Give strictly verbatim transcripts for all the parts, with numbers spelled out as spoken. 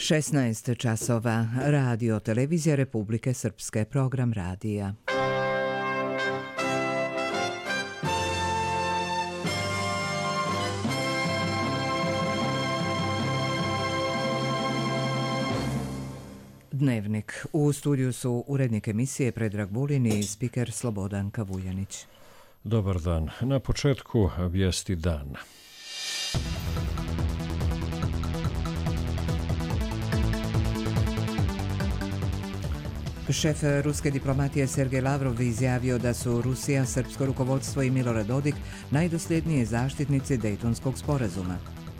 šesnaest časova. Radio Televizija Republike Srpske. Program radija. Dnevnik. U studiju su urednik emisije Predrag Vulin i spiker Slobodanka Vuljanić. Dobar dan. Na početku vijesti dana. Šef ruske diplomatije Sergej Lavrov izjavio da su Rusija, srpsko rukovodstvo i Milorad Dodik najdosljednije zaštitnici Dejtonskog sporazuma.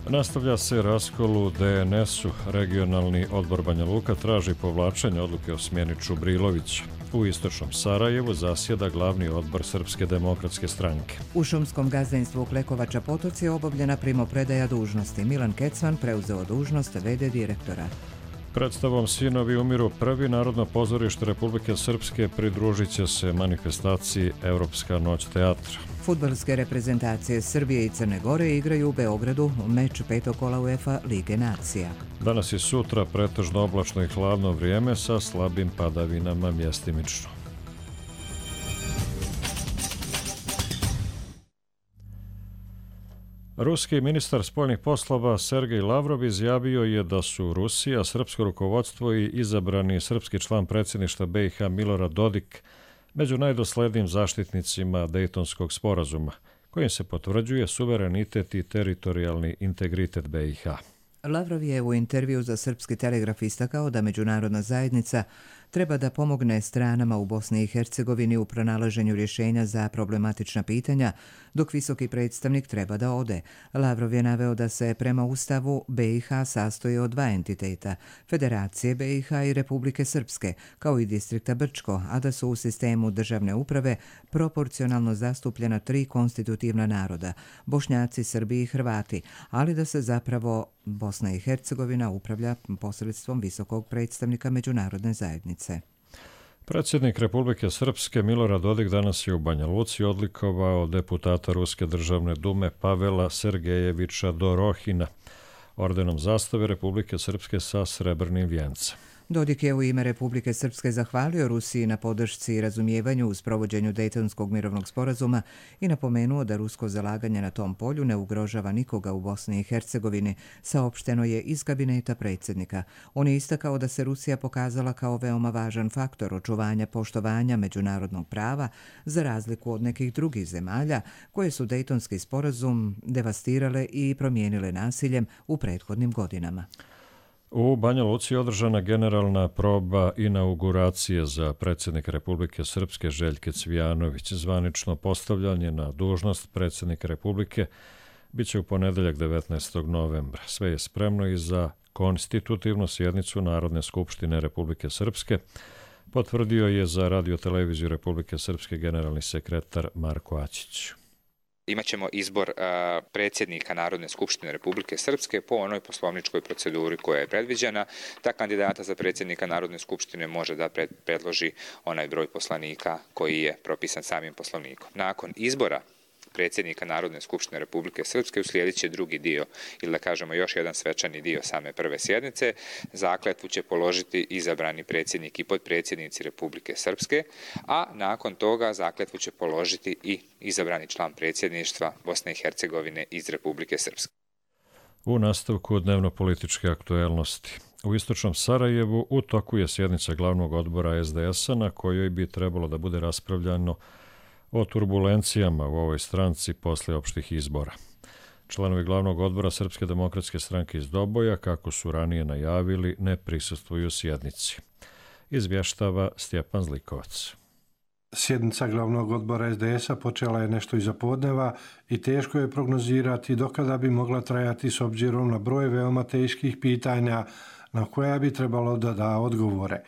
Nastavlja se raskol u D N S-u. Regionalni odbor Banja Luka traži povlačenje odluke o smjeni Čubrilovića. U istočnom Sarajevu zasjeda glavni odbor Srpske demokratske stranke. U šumskom gazdinstvu Klekovača Potoci je obavljena primopredaja dužnosti. Milan Kecman preuzeo dužnost v d direktora. Predstavom Sinovi umiru prvi Narodno pozorište Republike Srpske pridružit će se manifestaciji Europska noć teatra. Fudbalske reprezentacije Srbije i Crne Gore igraju u Beogradu meč petog kola UEFA Lige nacija. Danas i sutra pretežno oblačno i hladno vrijeme sa slabim padavinama mjestimično. Ruski ministar spoljnih poslova Sergej Lavrov izjavio je da su Rusija, srpsko rukovodstvo i izabrani srpski član predsjedništva B i H Milorad Dodik među najdoslednijim zaštitnicima Dejtonskog sporazuma, kojim se potvrđuje suverenitet i teritorijalni integritet B i H. Lavrov je u intervju za Srpski telegraf istakao da međunarodna zajednica treba da pomogne stranama u Bosni i Hercegovini u pronalaženju rješenja za problematična pitanja, dok visoki predstavnik treba da ode. Lavrov je naveo da se prema Ustavu B i H sastoji od dva entiteta, Federacije B i H i Republike Srpske, kao i distrikta Brčko, a da su u sistemu državne uprave proporcionalno zastupljena tri konstitutivna naroda, Bošnjaci, Srbi i Hrvati, ali da se zapravo Bosna i Hercegovina upravlja posredstvom visokog predstavnika međunarodne zajednice. Predsjednik Republike Srpske Milorad Dodik danas je u Banja Luci odlikovao deputata Ruske državne dume Pavela Sergejevića Dorohina ordenom zastave Republike Srpske sa srebrnim vijencem. Dodik je u ime Republike Srpske zahvalio Rusiji na podršci i razumijevanju u sprovođenju Dejtonskog mirovnog sporazuma i napomenuo da rusko zalaganje na tom polju ne ugrožava nikoga u Bosni i Hercegovini, saopšteno je iz kabineta predsjednika. On je istakao da se Rusija pokazala kao veoma važan faktor očuvanja poštovanja međunarodnog prava za razliku od nekih drugih zemalja koje su Dejtonski sporazum devastirale i promijenile nasiljem u prethodnim godinama. U Banja Luci je održana generalna proba inauguracije za predsjednika Republike Srpske Željke Cvijanović. Zvanično postavljanje na dužnost predsjednika Republike biće u ponedeljak devetnaestog novembra. Sve je spremno i za konstitutivnu sjednicu Narodne skupštine Republike Srpske, potvrdio je za Radio Televiziju Republike Srpske generalni sekretar Marko Aćić. Imaćemo izbor uh, predsjednika Narodne skupštine Republike Srpske po onoj poslovničkoj proceduri koja je predviđena. Ta kandidata za predsjednika Narodne skupštine može da pred, predloži onaj broj poslanika koji je propisan samim poslovnikom. Nakon izbora predsjednika Narodne skupštine Republike Srpske uslijedit će drugi dio, ili da kažemo još jedan svečani dio same prve sjednice. Zakletvu će položiti izabrani predsjednik i potpredsjednici Republike Srpske, a nakon toga zakletvu će položiti i izabrani član predsjedništva Bosne i Hercegovine iz Republike Srpske. U nastavku dnevno-političke aktuelnosti. U istočnom Sarajevu u toku je sjednica glavnog odbora S D S-a na kojoj bi trebalo da bude raspravljano o turbulencijama u ovoj stranci posle opštih izbora. Članovi glavnog odbora Srpske demokratske stranke iz Doboja, kako su ranije najavili, ne prisustvuju sjednici. Izvještava Stjepan Zlikovac. Sjednica glavnog odbora S D S-a počela je nešto iza podneva i teško je prognozirati dokada bi mogla trajati s obzirom na broj veoma teških pitanja na koja bi trebalo da da odgovore.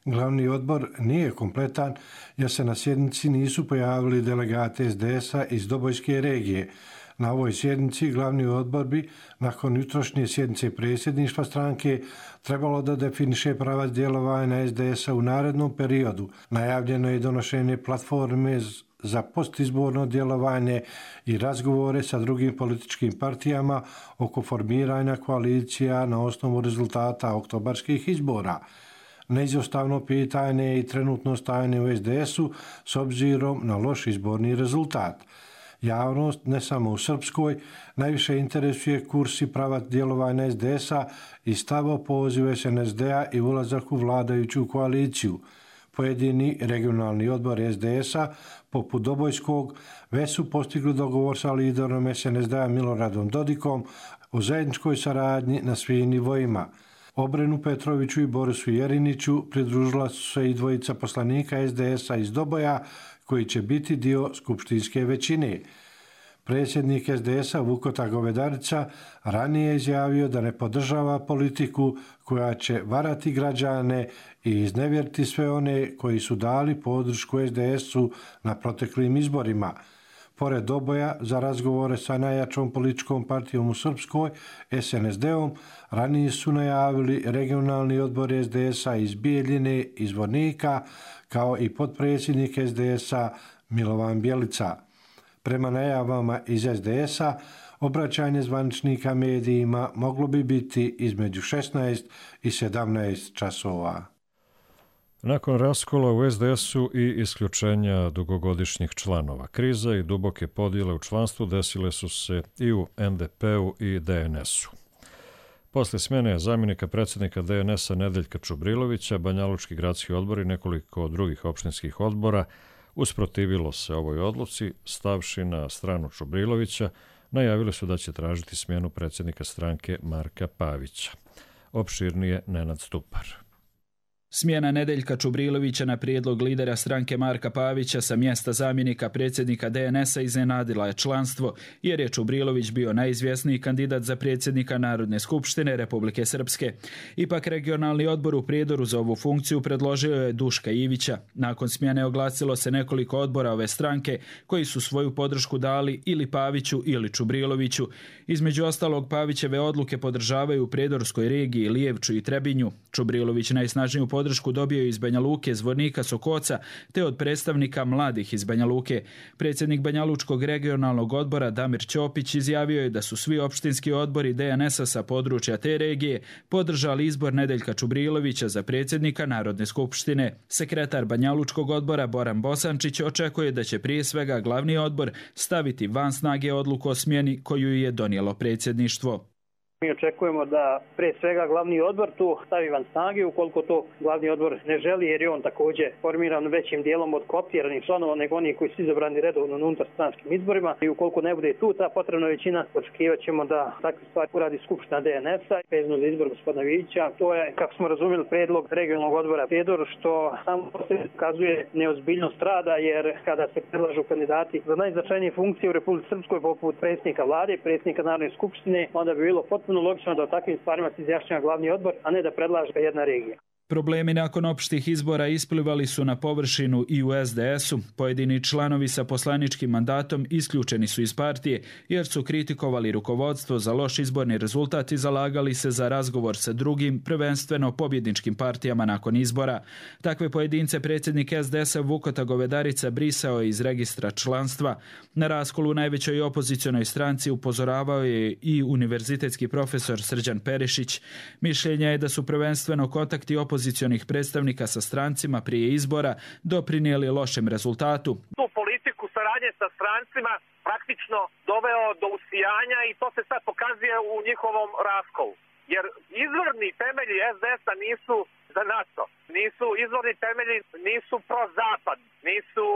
Glavni odbor nije kompletan jer se na sjednici nisu pojavili delegati S D S-a iz Dobojske regije. Na ovoj sjednici glavni odbor bi, nakon jutrošnje sjednice predsjedništva stranke, trebalo da definiše pravac djelovanja S D S-a u narednom periodu. Najavljeno je donošenje platforme za postizborno djelovanje i razgovore sa drugim političkim partijama oko formiranja koalicija na osnovu rezultata oktobarskih izbora. Neizostavno pitanje i trenutno stajanje u es de esu s obzirom na loš izborni rezultat. Javnost, ne samo u Srpskoj, najviše interesuje kurs i pravac djelovanja es de esa i stav o pozivu es en es de a i ulazak u vladajuću koaliciju. Pojedini regionalni odbor es de esa, poput Dobojskog, već su postigli dogovor sa liderom es en es de a Miloradom Dodikom o zajedničkoj saradnji na svim nivoima. Obrenu Petroviću i Borisu Jeriniću pridružila su se i dvojica poslanika es de esa iz Doboja, koji će biti dio skupštinske većine. Predsjednik es de esa Vukota Govedarica ranije je izjavio da ne podržava politiku koja će varati građane i iznevjeriti sve one koji su dali podršku es de esu na proteklim izborima. Pored Doboja, za razgovore sa najjačom političkom partijom u Srpskoj, es en es de-om, ranije su najavili regionalni odbor es de esa iz Bijeljine i Zvornika, kao i potpredsjednik es de esa Milovan Bjelica. Prema najavama iz es de esa, obraćanje zvaničnika medijima moglo bi biti između šesnaest i sedamnaest časova. Nakon raskola u es de esu i isključenja dugogodišnjih članova, kriza i duboke podjele u članstvu desile su se i u en de pe-u i de en esu. Posle smjene zamjenika predsjednika de en esa Nedeljka Čubrilovića, Banjalučki gradski odbor i nekoliko drugih opštinskih odbora usprotivilo se ovoj odluci, stavši na stranu Čubrilovića, najavili su da će tražiti smjenu predsjednika stranke Marka Pavića. Opširnije Nenad Stupar. Smjena Nedeljka Čubrilovića na prijedlog lidera stranke Marka Pavića sa mjesta zamjenika predsjednika de en esa iznenadila je članstvo, jer je Čubrilović bio najizvjesniji kandidat za predsjednika Narodne skupštine Republike Srpske. Ipak regionalni odbor u Prijedoru za ovu funkciju predložio je Duška Ivića. Nakon smjene oglasilo se nekoliko odbora ove stranke koji su svoju podršku dali ili Paviću ili Čubriloviću. Između ostalog, Pavićeve odluke podržavaju u Prijedorskoj regiji Lijevču i Trebinju. Čubrilović najsnažniju podršku dobio je iz Banja Luke, Zvornika, Sokoca, te od predstavnika mladih iz Banja Luke. Predsjednik Banjalučkog regionalnog odbora Damir Ćopić izjavio je da su svi opštinski odbori de en esa sa područja te regije podržali izbor Nedeljka Čubrilovića za predsjednika Narodne skupštine. Sekretar Banjalučkog odbora Boran Bosančić očekuje da će prije svega glavni odbor staviti van snage odluku o smjeni koju je donijelo predsjedništvo. Mi očekujemo da pre svega glavni odbor tu stavi van snage, ukoliko to glavni odbor ne želi, jer je on također formiran većim dijelom od kooptiranih članova nego oni koji su izabrani redovno na unutarstranskim izborima. I ukoliko ne bude tu ta potrebna većina, očekivat ćemo da takve stvari uradi Skupština de en esa vezano za izbor gospodina Vića. To je, kako smo razumjeli, predlog regionalnog odbora Prijedor, što samo pokazuje neozbiljnost rada, jer kada se predlažu kandidati za najznačajnije funkcije u Republici Srpskoj poput predsjednika vlade, predsjednika Narodne skupštine, onda bi bilo potpuno logično da o takvim stvarima se izjašnjava glavni odbor, a ne da predlaže jedna regija. Problemi nakon opštih izbora isplivali su na površinu i u es de esu. Pojedini članovi sa poslaničkim mandatom isključeni su iz partije jer su kritikovali rukovodstvo za loš izborni rezultat i zalagali se za razgovor sa drugim, prvenstveno pobjedničkim partijama nakon izbora. Takve pojedince predsjednik es de esa Vukota Govedarica brisao je iz registra članstva. Na raskolu u najvećoj opozicionoj stranci upozoravao je i univerzitetski profesor Srđan Perišić. Mišljenja je da su prvenstveno kontakti opozicionih predstavnika sa strancima prije izbora doprinijeli lošem rezultatu. Tu politiku saradnje sa strancima praktično doveo do usijanja i to se sad pokazuje u njihovom raskolu. Jer izvorni temelji es de esa nisu za NATO, nisu izvorni temelji, nisu pro-zapad, nisu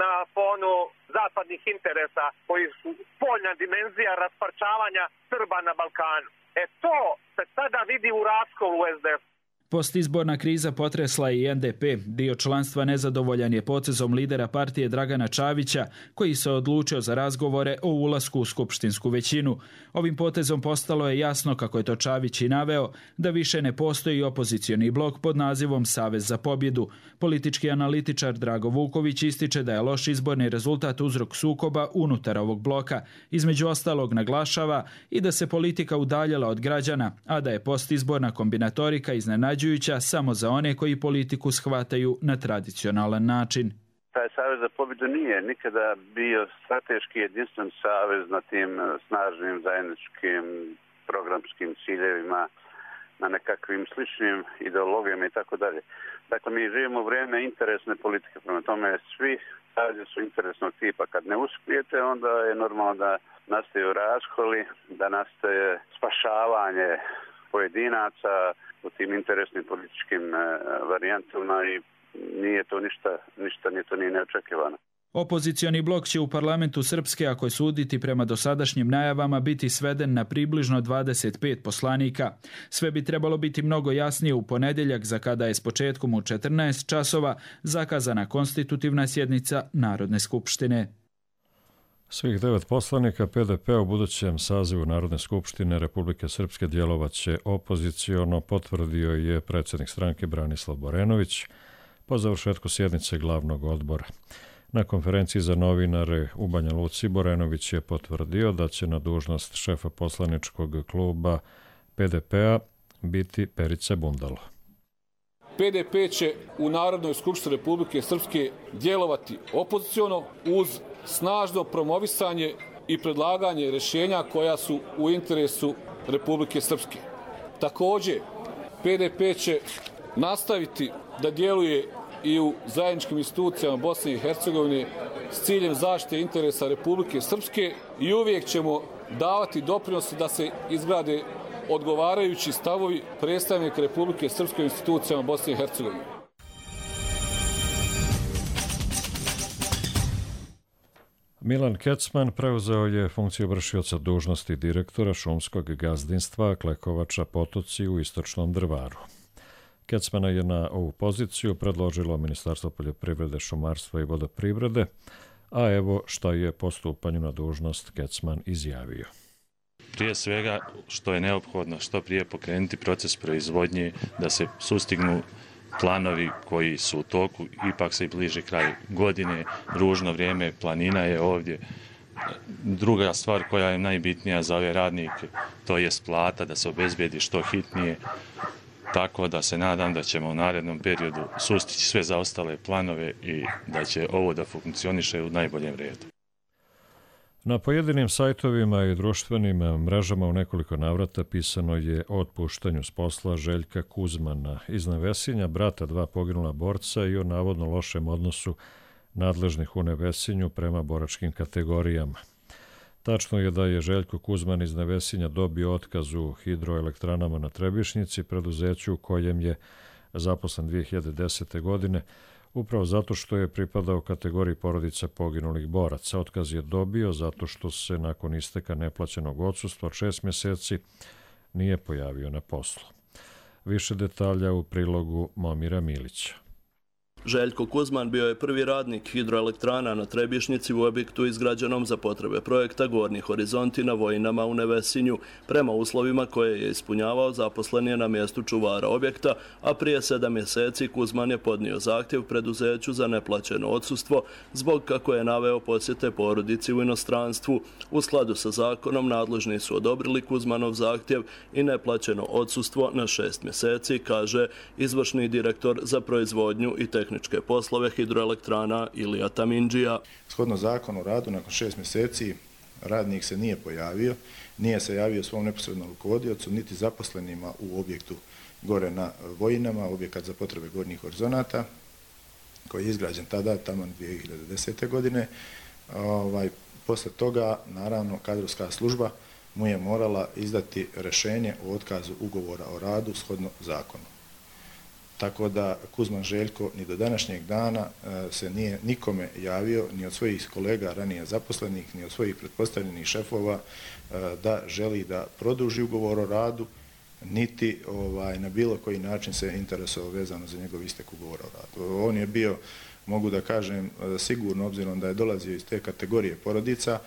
na fonu zapadnih interesa koji su spoljna dimenzija rasparčavanja Srba na Balkanu. E to se sada vidi u raskolu u es de esu. Postizborna kriza potresla i en de pe. Dio članstva nezadovoljan je potezom lidera partije Dragana Čavića, koji se odlučio za razgovore o ulasku u skupštinsku većinu. Ovim potezom postalo je jasno, kako je to Čavić i naveo, da više ne postoji opozicioni blok pod nazivom Savez za pobjedu. Politički analitičar Drago Vuković ističe da je loš izborni rezultat uzrok sukoba unutar ovog bloka. Između ostalog naglašava i da se politika udaljila od građana, a da je postizborna kombinatorika iznenađujuća samo za one koji politiku shvataju na tradicionalan način. taj Savez za pobjedu nije nikada bio strateški jedinstven savez na tim snažnim zajedničkim programskim ciljevima, na nekakvim sličnim ideologijama i tako dalje. Dakle, mi živimo u vrijeme interesne politike, prema tome svi savezi su interesnog tipa. Kad ne uspijete, onda je normalno da nastaju raskoli, da nastaje spašavanje pojedinaca u tim interesnim političkim varijantama i nije to ništa, ništa nije to nije neočekivano. Opozicioni blok će u parlamentu Srpske, ako je suditi prema dosadašnjim najavama, biti sveden na približno dvadeset pet poslanika. Sve bi trebalo biti mnogo jasnije u ponedjeljak, za kada je s početkom u četrnaest časova zakazana konstitutivna sjednica Narodne skupštine. Svih devet poslanika P D P u budućem sazivu Narodne skupštine Republike Srpske djelovaće opoziciono, potvrdio je predsjednik stranke Branislav Borenović po završetku sjednice glavnog odbora. Na konferenciji za novinare u Banja Luci Borenović je potvrdio da će na dužnost šefa poslaničkog kluba P D P-a biti Perica Bundalo. P D P će u Narodnoj skupštini Republike Srpske djelovati opoziciono uz snažno promovisanje i predlaganje rješenja koja su u interesu Republike Srpske. Također, P D P će nastaviti da djeluje i u zajedničkim institucijama Bosne i Hercegovine s ciljem zaštite interesa Republike Srpske i uvijek ćemo davati doprinos da se izgrade odgovarajući stavovi predstavnika Republike Srpske u institucijama Bosne i Hercegovine. Milan Kecman preuzeo je funkciju vršioca dužnosti direktora šumskog gazdinstva Klekovača Potoci u Istočnom Drvaru. Kecmana je na ovu poziciju predložilo Ministarstvo poljoprivrede, šumarstva i vodoprivrede, a evo šta je po stupanju na dužnost Kecman izjavio. Prije svega što je neophodno što prije pokrenuti proces proizvodnje, da se sustignu planovi koji su u toku, ipak se i bliže kraj godine, ružno vrijeme, planina je ovdje. Druga stvar koja je najbitnija za ove radnike, to je plata, da se obezbedi što hitnije, tako da se nadam da ćemo u narednom periodu sustići sve zaostale planove i da će ovo da funkcioniše u najboljem redu. Na pojedinim sajtovima i društvenim mrežama u nekoliko navrata pisano je o otpuštanju s posla Željka Kuzmana iz Nevesinja, brata dva poginula borca, i o navodno lošem odnosu nadležnih u Nevesinju prema boračkim kategorijama. Tačno je da je Željko Kuzman iz Nevesinja dobio otkaz u hidroelektranama na Trebišnjici, preduzeću u kojem je zaposlen dvije hiljade desete. godine, upravo zato što je pripadao kategoriji porodica poginulih boraca. Otkaz je dobio zato što se nakon isteka neplaćenog odsustva od šest mjeseci nije pojavio na poslu. Više detalja u prilogu Momira Milića. Željko Kuzman bio je prvi radnik hidroelektrana na Trebišnjici u objektu izgrađenom za potrebe projekta Gornji horizonti na Vojinama u Nevesinju. Prema uslovima koje je ispunjavao, zaposlen je na mjestu čuvara objekta, a prije sedam mjeseci Kuzman je podnio zahtjev preduzeću za neplaćeno odsustvo zbog, kako je naveo, posjete porodici u inostranstvu. U skladu sa zakonom nadležni su odobrili Kuzmanov zahtjev i neplaćeno odsustvo na šest mjeseci, kaže izvršni direktor za proizvodnju i tehničku tehničke poslove hidroelektrana Ilija Tamindžija. Shodno zakonu o radu, nakon šest mjeseci radnik se nije pojavio, nije se javio svom neposrednom rukovodiocu, niti zaposlenima u objektu gore na Vojinama, objekat za potrebe gornjih horizonata, koji je izgrađen tada, tamo dvije hiljade desete. godine. Ovaj, posle toga, naravno, kadrovska služba mu je morala izdati rješenje o otkazu ugovora o radu shodno zakonu. Tako da Kuzman Željko ni do današnjeg dana se nije nikome javio, ni od svojih kolega ranije zaposlenih, ni od svojih pretpostavljenih šefova, da želi da produži ugovor o radu, niti ovaj, na bilo koji način se interesovao vezano za njegov istek ugovora o radu. On je bio, mogu da kažem, sigurno, obzirom da je dolazio iz te kategorije porodica,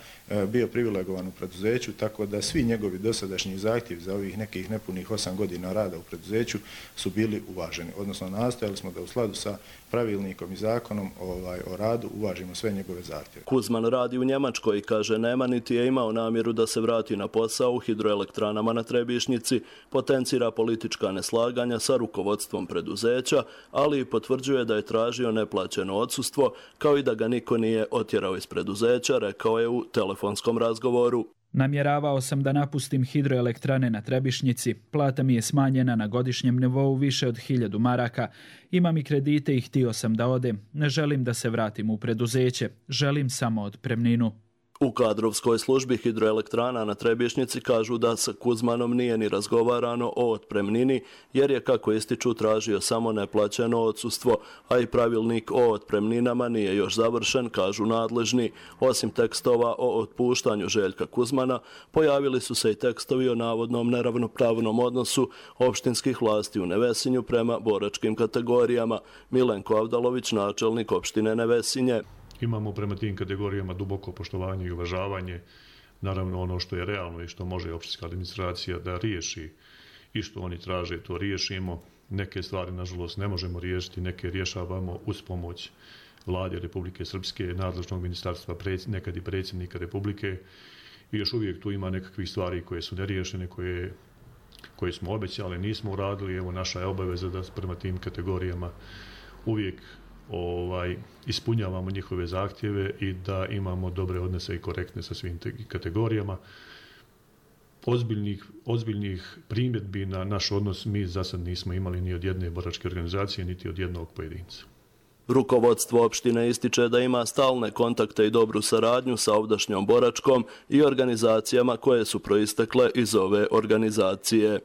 bio privilegovan u preduzeću, tako da svi njegovi dosadašnji zahtjevi za ovih nekih nepunih osam godina rada u preduzeću su bili uvaženi. Odnosno, nastojali smo da u skladu sa pravilnikom i zakonom ovaj, o radu uvažimo sve njegove zahtjeve. Kuzman radi u Njemačkoj i kaže nema niti je imao namjeru da se vrati na posao u hidroelektranama na Trebišnjici, potencira politička neslaganja sa rukovodstvom preduzeća, ali i potvrđuje da je tražio neplaćeno neplaćeno odsustvo, kao i da ga niko nije otjerao iz preduzeća, rekao je u telefonskom razgovoru. Namjeravao sam da napustim hidroelektrane na Trebišnjici. Plata mi je smanjena na godišnjem nivou više od hiljadu maraka. Imam i kredite i htio sam da odem. Ne želim da se vratim u preduzeće. Želim samo otpremninu. U kadrovskoj službi hidroelektrana na Trebišnjici kažu da sa Kuzmanom nije ni razgovarano o otpremnini, jer je, kako ističu, tražio samo neplaćeno odsustvo, a i pravilnik o otpremninama nije još završen, kažu nadležni. Osim tekstova o otpuštanju Željka Kuzmana, pojavili su se i tekstovi o navodnom neravnopravnom odnosu opštinskih vlasti u Nevesinju prema boračkim kategorijama. Milenko Avdalović, načelnik opštine Nevesinje. Imamo prema tim kategorijama duboko poštovanje i uvažavanje, naravno ono što je realno i što može opštinska administracija da riješi i što oni traže, to riješimo. Neke stvari, nažalost, ne možemo riješiti, neke rješavamo uz pomoć Vlade Republike Srpske, nadležnog ministarstva, nekad i predsjednika Republike, i još uvijek tu ima nekakvih stvari koje su neriješene, koje, koje smo obećali, nismo uradili. Evo, naša je obaveza da prema tim kategorijama uvijek Ovaj, ispunjavamo njihove zahtjeve i da imamo dobre odnose i korektne sa svim kategorijama. Ozbiljnih, ozbiljnih primjedbi na naš odnos mi za sad nismo imali ni od jedne boračke organizacije, niti od jednog pojedinca. Rukovodstvo opštine ističe da ima stalne kontakte i dobru saradnju sa ovdašnjom boračkom i organizacijama koje su proistekle iz ove organizacije.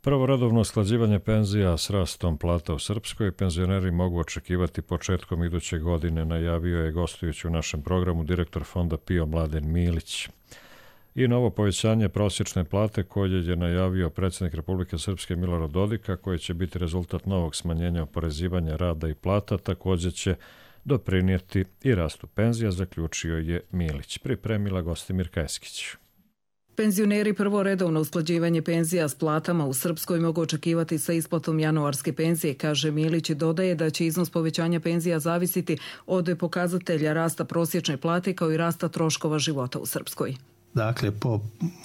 Prvo redovno usklađivanje penzija s rastom plata u Srpskoj penzioneri mogu očekivati početkom iduće godine, najavio je gostujući u našem programu direktor fonda PIO Mladen Milić. I novo povećanje prosječne plate koje je najavio predsjednik Republike Srpske Milorad Dodik, koje će biti rezultat novog smanjenja oporezivanja rada i plata, također će doprinijeti i rastu penzija, zaključio je Milić. Pripremila Gostimir Kajskić. Penzioneri prvo redovno usklađivanje penzija s platama u Srpskoj mogu očekivati sa isplatom januarske penzije, kaže Milić, i dodaje da će iznos povećanja penzija zavisiti od pokazatelja rasta prosječne plate kao i rasta troškova života u Srpskoj. Dakle, po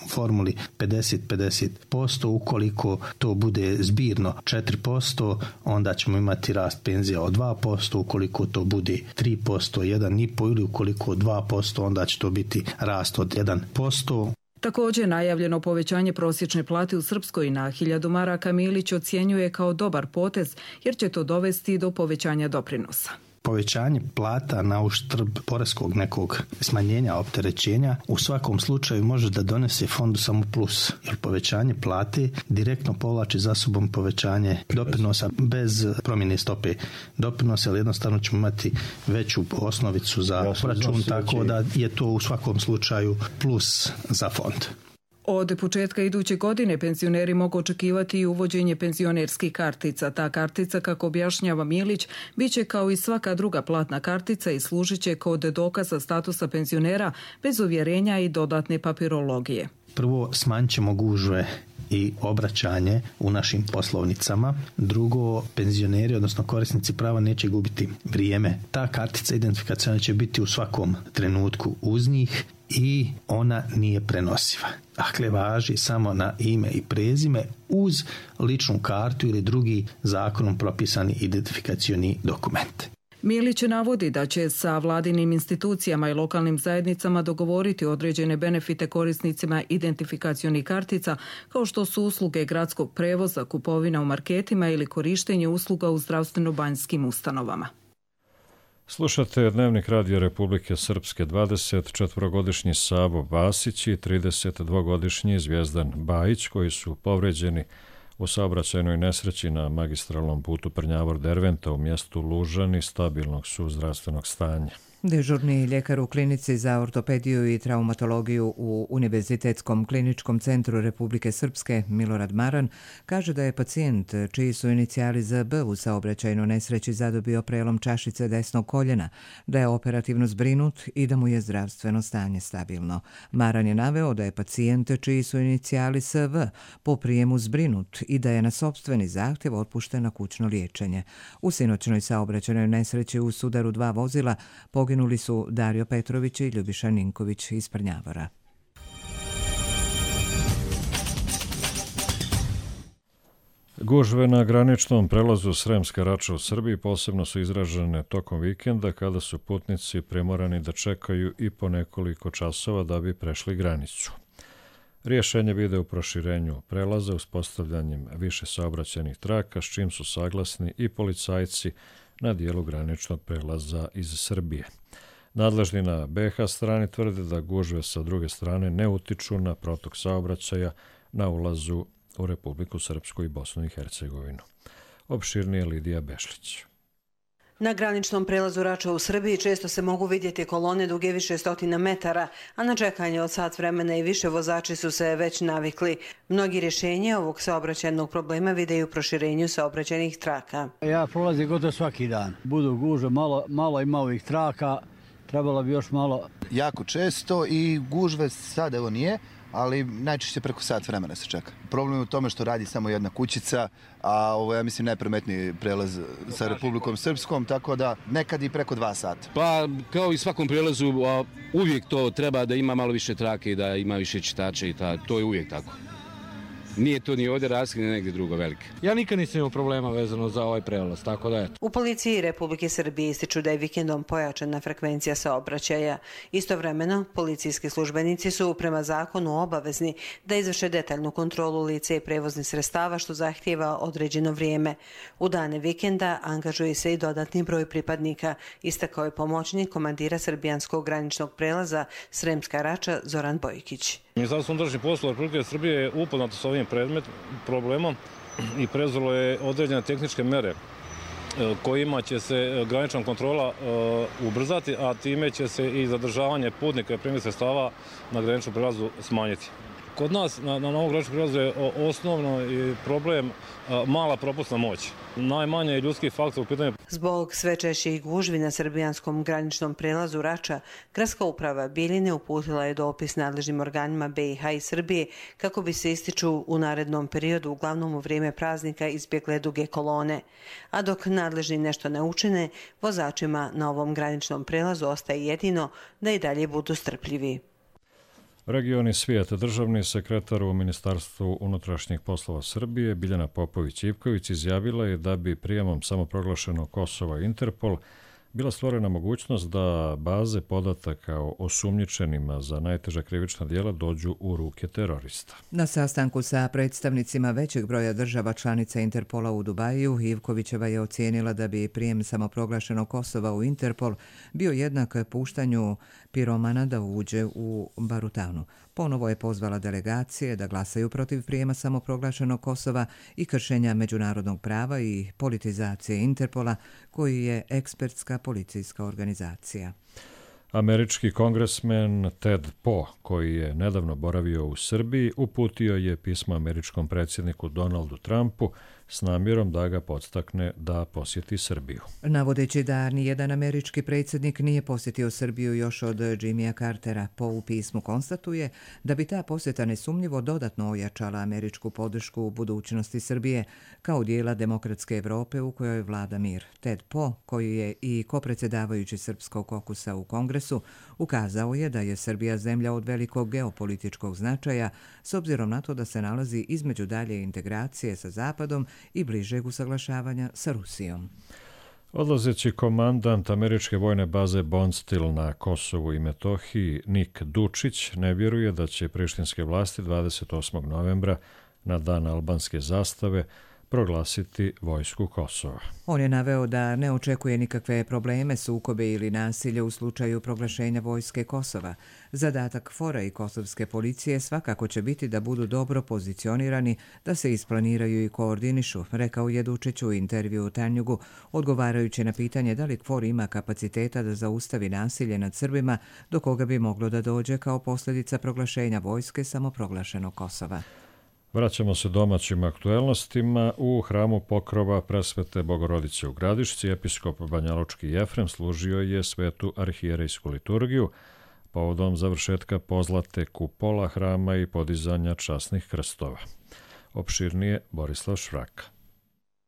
formuli pedeset pedeset posto, ukoliko to bude zbirno četiri posto, onda ćemo imati rast penzija od dva posto, ukoliko to bude tri posto, jedan zarez pet ili ukoliko dva posto, onda će to biti rast od jedan posto. Također najavljeno povećanje prosječne plate u Srpskoj na hiljadu maraka Milić ocjenjuje kao dobar potez jer će to dovesti do povećanja doprinosa. Povećanje plata na uštrb poreskog nekog smanjenja opterećenja u svakom slučaju može da donese fondu samo plus, jer povećanje plate direktno povlači za sobom povećanje doprinosa bez promjene stope doprinosa, ali jednostavno ćemo imati veću osnovicu za račun, tako da je to u svakom slučaju plus za fond. Od početka iduće godine penzioneri mogu očekivati i uvođenje penzionerskih kartica. Ta kartica, kako objašnjava Milić, bit će kao i svaka druga platna kartica i služit će kod dokaza statusa penzionera bez uvjerenja i dodatne papirologije. Prvo, smanjit ćemo gužve i obraćanje u našim poslovnicama. Drugo, penzioneri, odnosno korisnici prava, neće gubiti vrijeme. Ta kartica identifikacijona će biti u svakom trenutku uz njih i ona nije prenosiva. Dakle, važi samo na ime i prezime uz ličnu kartu ili drugi zakonom propisani identifikacioni dokument. Milić navodi da će sa vladinim institucijama i lokalnim zajednicama dogovoriti određene benefite korisnicima identifikacionih kartica, kao što su usluge gradskog prevoza, kupovina u marketima ili korištenje usluga u zdravstveno-banjskim ustanovama. Slušate Dnevnik Radio Republike Srpske. dvadeset četvorogodišnji Savo Vasić i trideset dvogodišnji Zvijezdan Bajić, koji su povređeni u saobraćajnoj nesreći na magistralnom putu Prnjavor-Derventa u mjestu Lužani, stabilnog su zdravstvenog stanja. Dežurni ljekar u klinici za ortopediju i traumatologiju u Univerzitetskom kliničkom centru Republike Srpske Milorad Maran kaže da je pacijent čiji su inicijali Z B u saobraćajnoj nesreći zadobio prelom čašice desnog koljena, da je operativno zbrinut i da mu je zdravstveno stanje stabilno. Maran je naveo da je pacijent čiji su inicijali S V po prijemu zbrinut i da je na sopstveni zahtjev otpušten na kućno liječenje. U sinoćnoj saobraćajnoj nesreći u sudaru dva vozila poginuli su Dario Petrović i Ljubiša Ninković iz Prnjavora. Gužve na graničnom prelazu Sremska Rača u Srbiji posebno su izražene tokom vikenda kada su putnici primorani da čekaju i po nekoliko časova da bi prešli granicu. Rješenje vide u proširenju prelaza uspostavljanjem više saobraćajnih traka, s čim su saglasni i policajci na dijelu graničnog prelaza iz Srbije. Nadležni na be ha strani tvrde da gužve sa druge strane ne utiču na protok saobraćaja na ulazu u Republiku Srpsku i Bosnu i Hercegovinu. Opširnije Lidija Bešlić. Na graničnom prelazu Rača u Srbiji često se mogu vidjeti kolone duge više stotina metara, a na čekanje od sat vremena i više vozači su se već navikli. Mnogi rješenje ovog saobraćajnog problema vide u proširenju saobraćajnih traka. Ja prolazim gotovo svaki dan. Budu gužve, malo, malo ima ovih traka, trebalo bi još malo. Jako često i gužve sad evo nije, ali najčešće preko sat vremena se čeka. Problem je u tome što radi samo jedna kućica, a ovo je, ja mislim, najprometniji prelaz sa Republikom Srpskom, tako da nekad i preko dva sata. Pa, kao i svakom prelazu, uvijek to treba da ima malo više trake i da ima više čitača i ta, to je uvijek tako. Nije to ni ovdje razlika, ni negdje drugo velike. Ja nikad nisam imao problema vezano za ovaj prelaz, tako da eto. U policiji Republike Srbije ističu da je vikendom pojačana frekvencija saobraćaja. Istovremeno, policijski službenici su prema zakonu obavezni da izvrše detaljnu kontrolu lica i prevoznih sredstava, što zahtijeva određeno vrijeme. U dane vikenda angažuje se i dodatni broj pripadnika, istakao je pomoćnik komandira srbijanskog graničnog prelaza Sremska Rača Zoran Bojkić. Ministarstvo unutrašnjih poslova Republike Srbije je upoznato s ovim predmet, problemom i preuzelo je određene tehničke mere kojima će se granična kontrola uh, ubrzati, a time će se i zadržavanje putnika i prevoznih sredstava na graničnom prelazu smanjiti. Kod nas na, na novom graničnom prelazu je osnovno problem uh, mala propusna moć. Najmanje je ljudski faktor u pitanju. Zbog sve češćih gužvi na srbijanskom graničnom prelazu Rača, Gradska uprava Bijeljine uputila je dopis nadležnim organima be i ha i Srbije kako bi se ističu u narednom periodu, uglavnom u vrijeme praznika, izbjegle duge kolone. A dok nadležni nešto ne učine, vozačima na ovom graničnom prelazu ostaje jedino da i dalje budu strpljivi. Regioni svijeta, državni sekretar u Ministarstvu unutrašnjih poslova Srbije Biljana Popović-Ivković izjavila je da bi prijemom samoproglašenog Kosova Interpol bila stvorena mogućnost da baze podataka o osumnjičenima za najteža krivična djela dođu u ruke terorista. Na sastanku sa predstavnicima većeg broja država članica Interpola u Dubaju, Ivkovićeva je ocijenila da bi prijem samoproglašenog Kosova u Interpol bio jednak puštanju piromana da uđe u Barutanu. Ponovo je pozvala delegacije da glasaju protiv prijema samoproglašenog Kosova i kršenja međunarodnog prava i politizacije Interpola, koji je ekspertska policijska organizacija. Američki kongresmen Ted Poe, koji je nedavno boravio u Srbiji, uputio je pismo američkom predsjedniku Donaldu Trumpu s namjerom da ga podstakne da posjeti Srbiju. Navodeći da nijedan američki predsjednik nije posjetio Srbiju još od Jimmya Cartera, Poe u pismu konstatuje da bi ta posjeta nesumnjivo dodatno ojačala američku podršku u budućnosti Srbije kao dijela demokratske Evrope u kojoj vlada mir. Ted Poe, koji je i kopredsjedavajući Srpskog kokusa u Kongresu, ukazao je da je Srbija zemlja od velikog geopolitičkog značaja s obzirom na to da se nalazi između dalje integracije sa Zapadom i bližeg usaglašavanja sa Rusijom. Odlazeći komandant američke vojne baze Bondsteel na Kosovu i Metohiji Nik Dučić ne vjeruje da će prištinske vlasti dvadeset osmog novembra na dan albanske zastave proglasiti vojsku Kosova. On je naveo da ne očekuje nikakve probleme, sukobe ili nasilje u slučaju proglašenja vojske Kosova. Zadatak fora i kosovske policije svakako će biti da budu dobro pozicionirani, da se isplaniraju i koordinišu, rekao je Dučić u intervju u Tanjugu, odgovarajući na pitanje da li KFOR ima kapaciteta da zaustavi nasilje nad Srbima, do koga bi moglo da dođe kao posljedica proglašenja vojske samoproglašenog Kosova. Vraćamo se domaćim aktuelnostima. U hramu Pokrova Presvete Bogorodice u Gradišci episkop banjalučki Jefrem služio je svetu arhijerejsku liturgiju povodom završetka pozlate kupola hrama i podizanja časnih krstova. Opširnije Borislav Švraka.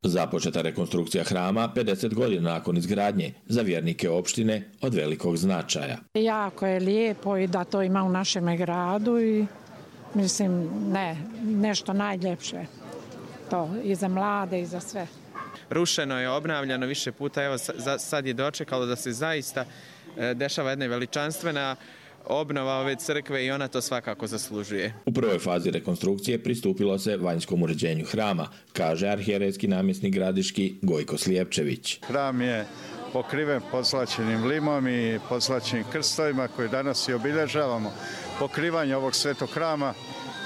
Započeta rekonstrukcija hrama pedeset godina nakon izgradnje za vjernike opštine od velikog značaja. Jako je lijepo i da to ima u našem gradu i mislim, ne, nešto najljepše. to i za mlade i za sve. Rušeno je, obnavljano više puta, evo sad je dočekalo da se zaista dešava jedna veličanstvena obnova ove crkve i ona to svakako zaslužuje. U prvoj fazi rekonstrukcije pristupilo se vanjskom uređenju hrama, kaže arhijerejski namjesnik Gradiški Gojko Slijepčević. Hram je pokriven podslačenim limom i podslačenim krstovima koje danas i obilježavamo. Pokrivanje ovog svetog hrama,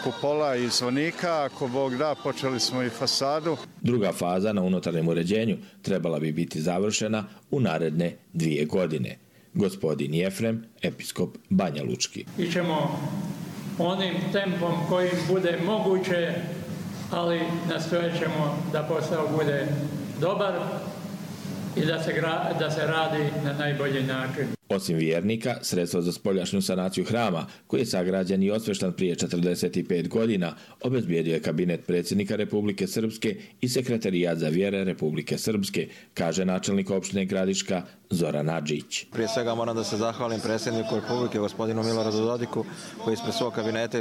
kupola i zvonika, ako Bog da, počeli smo i fasadu. Druga faza na unutarnjem uređenju trebala bi biti završena u naredne dvije godine. Gospodin Jefrem, episkop Banja Lučki. Ićemo onim tempom kojim bude moguće, ali nastojat ćemo da posao bude dobar i da se, gra, da se radi na najbolji način. Osim vjernika, sredstva za spoljašnju sanaciju hrama, koji je sagrađen i osveštan prije četrdeset pet godina, obezbijedio je kabinet predsjednika Republike Srpske i sekretarijat za vjere Republike Srpske, kaže načelnik opštine Gradiška Zoran Adžić. Prije svega moram da se zahvalim predsjedniku Republike, gospodinu Miloradu Dodiku, koji ispred svog kabineta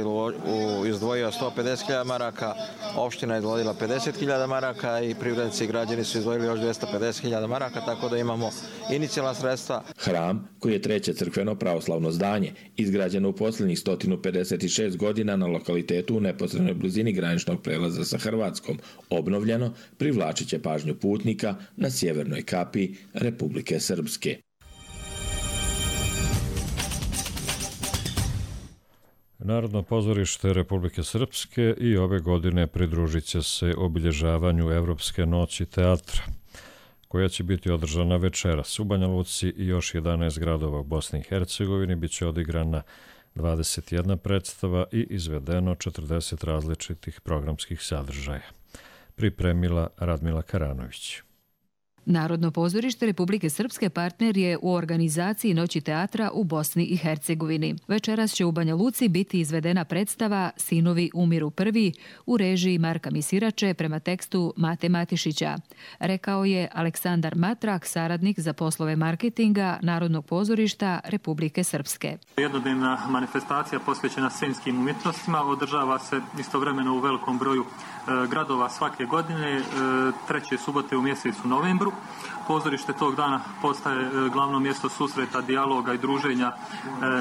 izdvojio sto pedeset hiljada maraka, opština je izdvojila pedeset hiljada maraka i privrednici i građani su izdvojili još dvjesto pedeset hiljada maraka, tako da imamo inicijalna sredstva. Hram, koji je treće crkveno pravoslavno zdanje, izgrađeno u posljednjih sto pedeset šest godina na lokalitetu u neposrednoj blizini graničnog prelaza sa Hrvatskom, obnovljeno, privlačit će pažnju putnika na sjevernoj kapi Republike Srpske. Narodno pozorište Republike Srpske i ove godine pridružit će se obilježavanju Evropske noći teatra, koja će biti održana večeras u Banja Luci i još jedanaest gradova u Bosni i Hercegovini. Biće odigrana dvadeset jedna predstava i izvedeno četrdeset različitih programskih sadržaja. Pripremila Radmila Karanović. Narodno pozorište Republike Srpske partner je u organizaciji Noći teatra u Bosni i Hercegovini. Večeras će u Banja Luci biti izvedena predstava Sinovi umiru prvi u režiji Marka Misirače prema tekstu Mate Matišića, rekao je Aleksandar Matrak, saradnik za poslove marketinga Narodnog pozorišta Republike Srpske. Jednodnevna manifestacija posvećena scenskim umjetnostima održava se istovremeno u velikom broju gradova svake godine, treće subote u mjesecu novembru. Pozorište tog dana postaje glavno mjesto susreta, dijaloga i druženja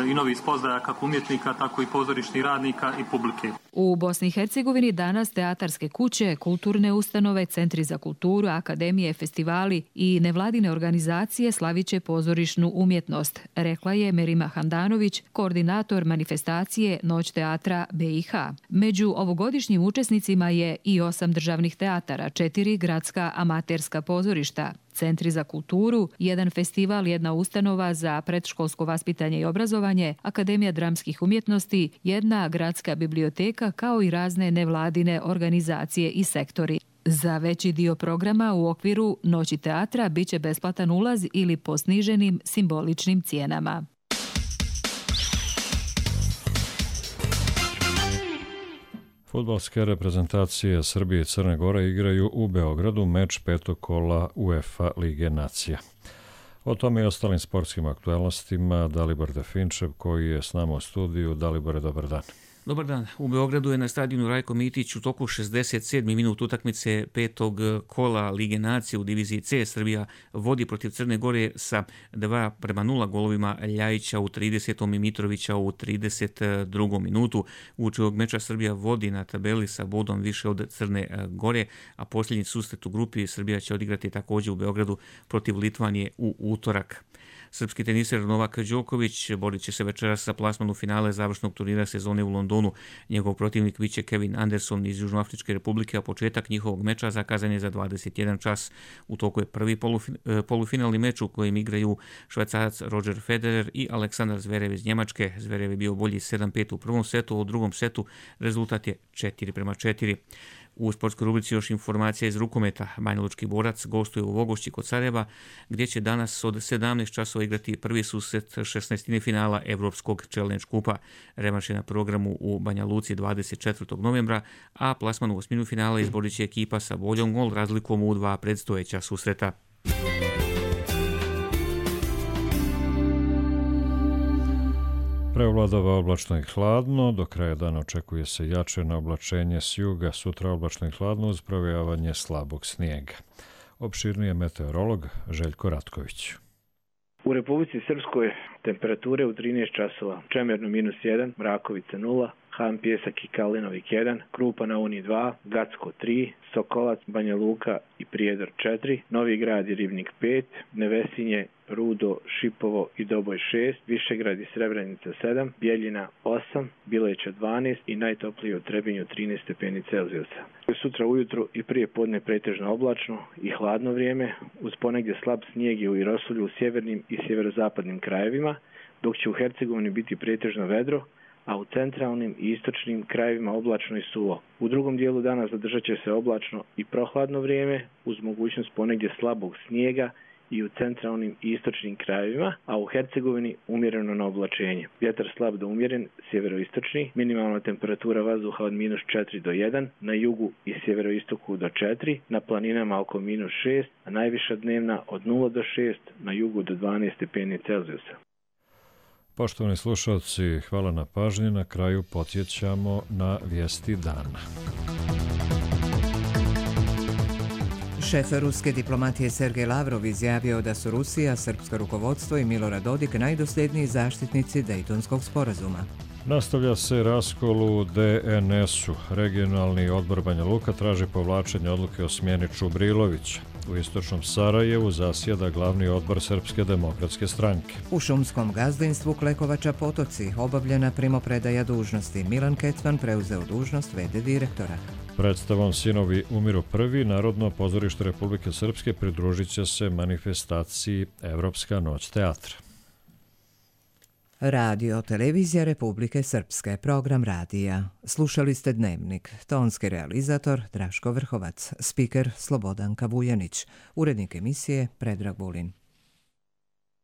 i novih spoznaja kako umjetnika, tako i pozorišnih radnika i publike. U Bosni i Hercegovini danas teatarske kuće, kulturne ustanove, centri za kulturu, akademije, festivali i nevladine organizacije slaviće pozorišnu umjetnost, rekla je Merima Handanović, koordinator manifestacije Noć teatra B i H. Među ovogodišnjim učesnicima je i osam državnih teatara, četiri gradska amaterska pozorišta, centri za kulturu, jedan festival, jedna ustanova za predškolsko vaspitanje i obrazovanje, Akademija dramskih umjetnosti, jedna gradska biblioteka kao i razne nevladine organizacije i sektori. Za veći dio programa u okviru Noći teatra biće besplatan ulaz ili po sniženim simboličnim cijenama. Fudbalske reprezentacije Srbije i Crne Gore igraju u Beogradu meč petog kola UEFA Lige nacija. O tome i ostalim sportskim aktualnostima Dalibor Definčev, koji je s nama u studiju. Dalibore, dobar dan. Dobar dan. U Beogradu je na stadionu Rajko Mitić u toku šezdeset sedmi minut utakmice petog kola Lige nacije u diviziji C. Srbija vodi protiv Crne Gore sa dva prema nula golovima Ljajića u tridesetom i Mitrovića u trideset drugom minutu. Uoči ovog meča Srbija vodi na tabeli sa bodom više od Crne Gore, a posljednji susret u grupi Srbija će odigrati također u Beogradu protiv Litvanije u utorak. Srpski teniser Novak Đoković borit će se večeras za plasman u finale završnog turnira sezone u Londonu. Njegov protivnik biće Kevin Anderson iz Južnoafričke republike, a početak njihovog meča zakazan je za dvadeset jedan čas. U toku je prvi polufinalni meč u kojem igraju Švajcarac Roger Federer i Aleksandar Zverev iz Njemačke. Zverev je bio bolji sedam pet u prvom setu, a u drugom setu rezultat je četiri prema četiri. U sportskoj rubrici još informacija iz rukometa. Banjalučki Borac gostuje u Vogošći kod Sarajeva, gdje će danas od sedamnaest časova igrati prvi susret šesnaestine finala Evropskog Challenge kupa. Revanš je na programu u Banja Luci dvadeset četvrtog novembra, a plasman u osminu finala izborit će ekipa sa boljom gol razlikom u dva predstojeća susreta. Prevladava oblačno i hladno, do kraja dana očekuje se jače na oblačenje s juga, sutra oblačno i hladno uz provejavanje slabog snijega. Opširnije meteorolog Željko Ratković. U Republici Srpskoj temperature u trinaest časova, Čemerno minus jedan, Mrakovica nula, Han Pjesak i Kalinovik jedan, Krupa na Uni dva, Gacko tri, Sokolac, Banja Luka i Prijedor četiri, Novi Grad i Ribnik pet, Nevesinje, Rudo, Šipovo i Doboj šest, Višegrad i Srebrenica sedam, Bjeljina osam, Bileća dvanaest i najtoplije u Trebinju trinaest stepeni Celzijusa. Sutra ujutru i prije podne pretežno oblačno i hladno vrijeme, uz ponegdje slab snijeg i rosulju u sjevernim i sjeverozapadnim krajevima, dok će u Hercegovini biti pretežno vedro, a u centralnim i istočnim krajevima oblačno i suvo. U drugom dijelu dana zadržat će se oblačno i prohladno vrijeme, uz mogućnost ponegdje slabog snijega i u centralnim i istočnim krajevima, a u Hercegovini umjereno na oblačenje. Vjetar slab do umjeren, sjeveroistočni, minimalna temperatura vazduha od minus četiri do jedan, na jugu i sjeveroistoku do četiri, na planinama oko minus šest, a najviša dnevna od nula do šest, na jugu do dvanaest stepeni Celzijusa. Poštovani slušalci, hvala na pažnji. Na kraju podsjećamo na vijesti dana. Šef ruske diplomatije Sergej Lavrov izjavio da su Rusija, srpsko rukovodstvo i Milorad Dodik najdosljedniji zaštitnici Dejtonskog sporazuma. Nastavlja se raskol u de en es u. Regionalni odbor Banja Luka traži povlačenje odluke o smjeni Čubrilovića. U istočnom Sarajevu zasjeda glavni odbor Srpske demokratske stranke. U šumskom gazdinstvu Klekovača Potoci obavljena primopredaja dužnosti. Milan Kecman preuzeo dužnost ve de direktora. Predstavom Sinovi umiru prvi, Narodno pozorište Republike Srpske pridružit će se manifestaciji Evropska noć teatra. Radio Televizija Republike Srpske, program radija. Slušali ste Dnevnik, tonski realizator Draško Vrhovac, spiker Slobodanka Vujanić, urednik emisije Predrag Vulin.